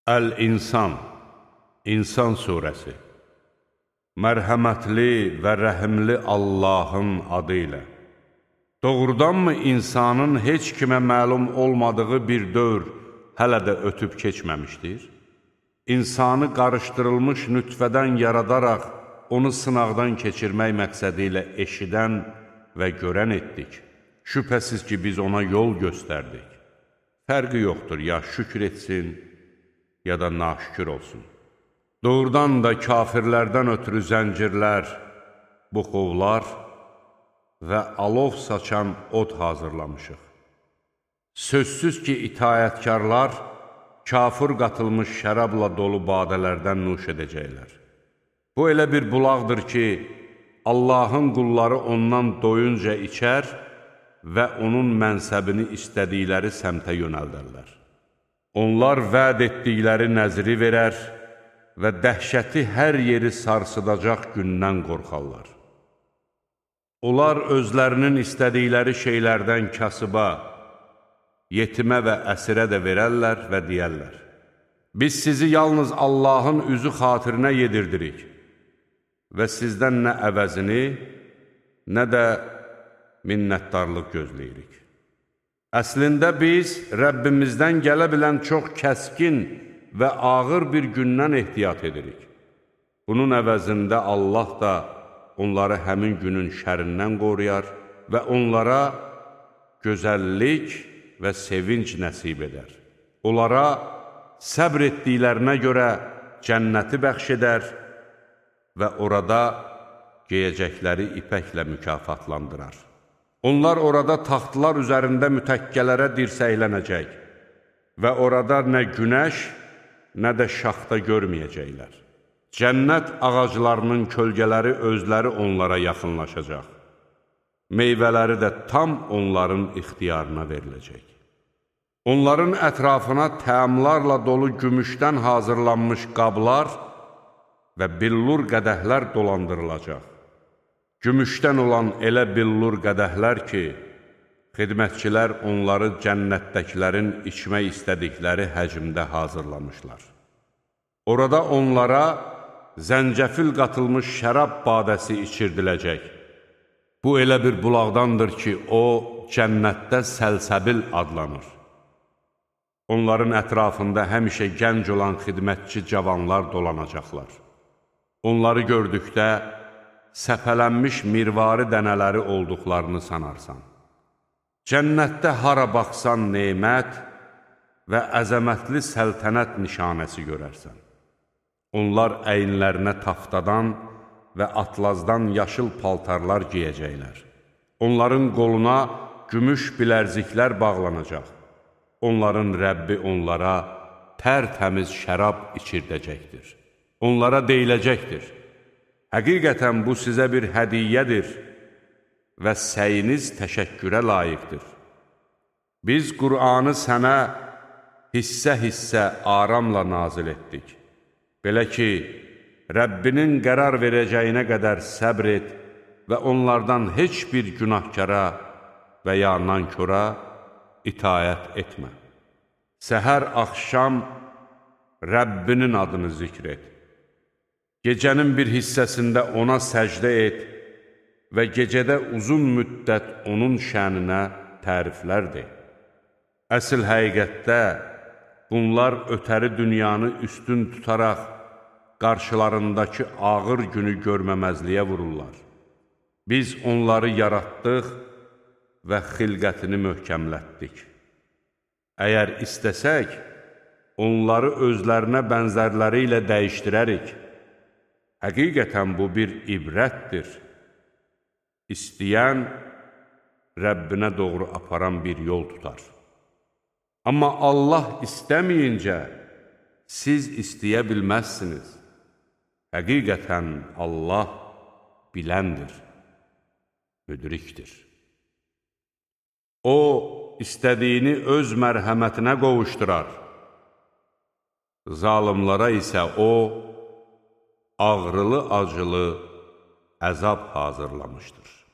Əl-İnsan, İnsan surəsi. Mərhəmətli və rəhimli Allahın adı ilə. Doğrudanmı insanın heç kimə məlum olmadığı bir dövr hələ də ötüb keçməmişdir? İnsanı qarışdırılmış nütfədən yaradaraq, onu sınaqdan keçirmək məqsədi ilə eşidən və görən etdik. Şübhəsiz ki, biz ona yol göstərdik. Fərqi yoxdur, ya şükür etsin, ya da naşükür olsun. Doğrudan da kafirlərdən ötürü zəncirlər, buxovlar və alov saçan od hazırlamışıq. Sözsüz ki, itayətkarlar kafir qatılmış şərabla dolu badələrdən nuş edəcəklər. Bu elə bir bulaqdır ki, Allahın qulları ondan doyunca içər və onun mənsəbini istədikləri səmtə yönəldərlər. Onlar vəd etdikləri nəzri verər və dəhşəti hər yeri sarsıdacaq gündən qorxarlar. Onlar özlərinin istədikləri şeylərdən kasıba, yetimə və əsirə də verərlər və deyərlər: Biz sizi yalnız Allahın üzü xatirinə yedirdirik və sizdən nə əvəzini, nə də minnətdarlıq gözləyirik. Əslində biz Rəbbimizdən gələ bilən çox kəskin və ağır bir gündən ehtiyat edirik. Bunun əvəzində Allah da onları həmin günün şərindən qoruyar və onlara gözəllik və sevinc nəsib edər. Onlara səbr etdiklərinə görə cənnəti bəxş edər və orada geyəcəkləri ipəklə mükafatlandırar. Onlar orada taxtlar üzərində mütəkkələrə dirsəklənəcək və orada nə günəş, nə də şaxta görməyəcəklər. Cənnət ağaclarının kölgələri özləri onlara yaxınlaşacaq. Meyvələri də tam onların ixtiyarına veriləcək. Onların ətrafına təamlarla dolu gümüşdən hazırlanmış qablar və billur qədəhlər dolandırılacaq. Gümüşdən olan elə billur qədəhlər ki, xidmətçilər onları cənnətdəkilərin içmək istədikləri həcmdə hazırlamışlar. Orada onlara zəncəfil qatılmış şərab badəsi içirdiləcək. Bu elə bir bulaqdandır ki, o cənnətdə səlsəbil adlanır. Onların ətrafında həmişə gənc olan xidmətçi cavanlar dolanacaqlar. Onları gördükdə səpələnmiş mirvari dənələri olduqlarını sanarsan. Cənnətdə hara baxsan nemət və əzəmətli səltənət nişanəsi görərsən. Onlar əyinlərinə taftadan və atlazdan yaşıl paltarlar geyəcəklər. Onların qoluna gümüş bilərziklər bağlanacaq. Onların Rəbbi onlara tərtəmiz şərab içirdəcəkdir. Onlara deyiləcəkdir: Həqiqətən bu sizə bir hədiyyədir və səyiniz təşəkkürə layiqdir. Biz Qur'anı sənə hissə-hissə aramla nazil etdik. Belə ki, Rəbbinin qərar verəcəyinə qədər səbr et və onlardan heç bir günahkara və ya nankora itayət etmə. Səhər axşam Rəbbinin adını zikr et. Gecənin bir hissəsində ona səcdə et və gecədə uzun müddət onun şəninə təriflər de. Əsl həqiqətdə bunlar ötəri dünyanı üstün tutaraq qarşılarındakı ağır günü görməməzliyə vururlar. Biz onları yaratdıq və xilqətini möhkəmlətdik. Əgər istəsək, onları özlərinə bənzərləri ilə dəyişdirərik. Həqiqətən bu bir ibrətdir. İstəyən Rəbbinə doğru aparan bir yol tutar. Amma Allah istəməyincə siz istəyə bilməzsiniz. Həqiqətən Allah biləndir, müdrikdir. O, istədiyini öz mərhəmətinə qovuşdurar. Zalimlara isə o, ağrılı-acılı əzab hazırlamışdır.